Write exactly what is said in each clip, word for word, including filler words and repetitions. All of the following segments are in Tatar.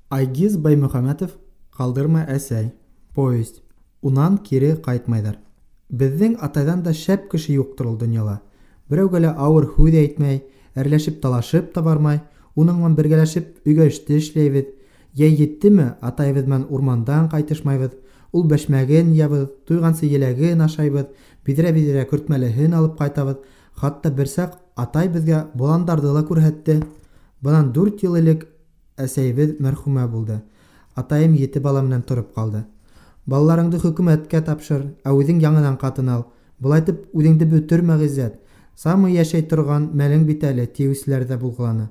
Айгиз Баймөхәмәтов «Калдырма, әсәй». Повесть. Унан кире ҡайтмайҙар. Беҙҙең атайҙан да шәп кеше юҡтыр ул донъяла. Берәүгә лә ауыр һүҙ әйтмәй, әрләшеп-талашып та бармай, уның менән бергәләшеп өйгә эште эшләйбеҙ. Йәй еттеме, атайыбыҙ менән урмандан ҡайтышмайбыҙ. Ул бәшмәген ябыҙ, туйғансы еләген ашайбыҙ, биҙрә-биҙрә көртмәлеһен алып ҡайтабыҙ. Хатта бер саҡ атай беҙгә боландарҙы ла күрһәтте. Бынан дүрт йыл элек әсәйебеҙ мәрхүмә булды. Атайым ете бала менән тороп ҡалды. Балаларыңды хөкүмәткә тапшыр, ә үҙең яңынан ҡатын ал. Былайтып үҙеңде бөтөрмә, Ғиззәт. Самый йәшәй торған мәлең бит әле, тиеүселәр ҙә булғыланы.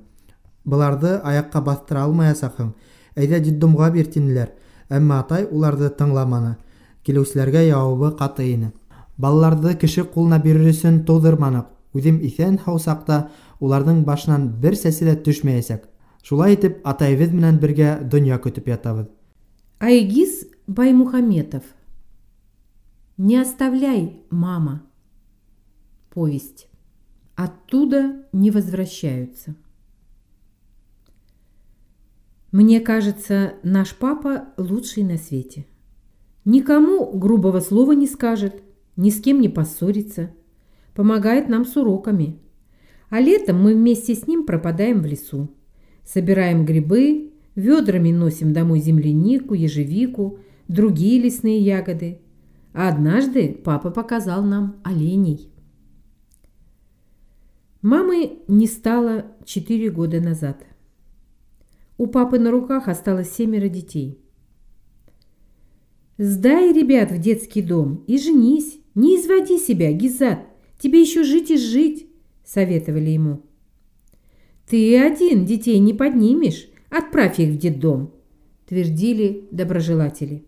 Быларҙы аяҡҡа баҫтыра алмаясаҡһың. Әйҙә детдомға бир, тинеләр. Әммә атай уларҙы тыңламаны. Килеүселәргә яуабы ҡаты ине. Балаларҙы кеше ҡулына бирер өсөн тыуҙырманыҡ. Үҙем иҫән-һау саҡта уларҙың башынан бер сәсе лә төшмәйәсәк. Шулай итеп, атайыбыҙ менән бергә донъя көтөп ятабыҙ. Айгиз Баймухаметов. Не оставляй, мама. Повесть. Оттуда не возвращаются. Мне кажется, наш папа лучший на свете. Никому грубого слова не скажет, ни с кем не поссорится. Помогает нам с уроками. А летом мы вместе с ним пропадаем в лесу. Собираем грибы, ведрами носим домой землянику, ежевику, другие лесные ягоды. А однажды папа показал нам оленей. Мамы не стало четыре года назад. У папы на руках осталось семеро детей. «Сдай ребят в детский дом и женись, не изводи себя, Гизат, тебе еще жить и жить», – советовали ему. «Ты один детей не поднимешь, отправь их в детдом», – твердили доброжелатели.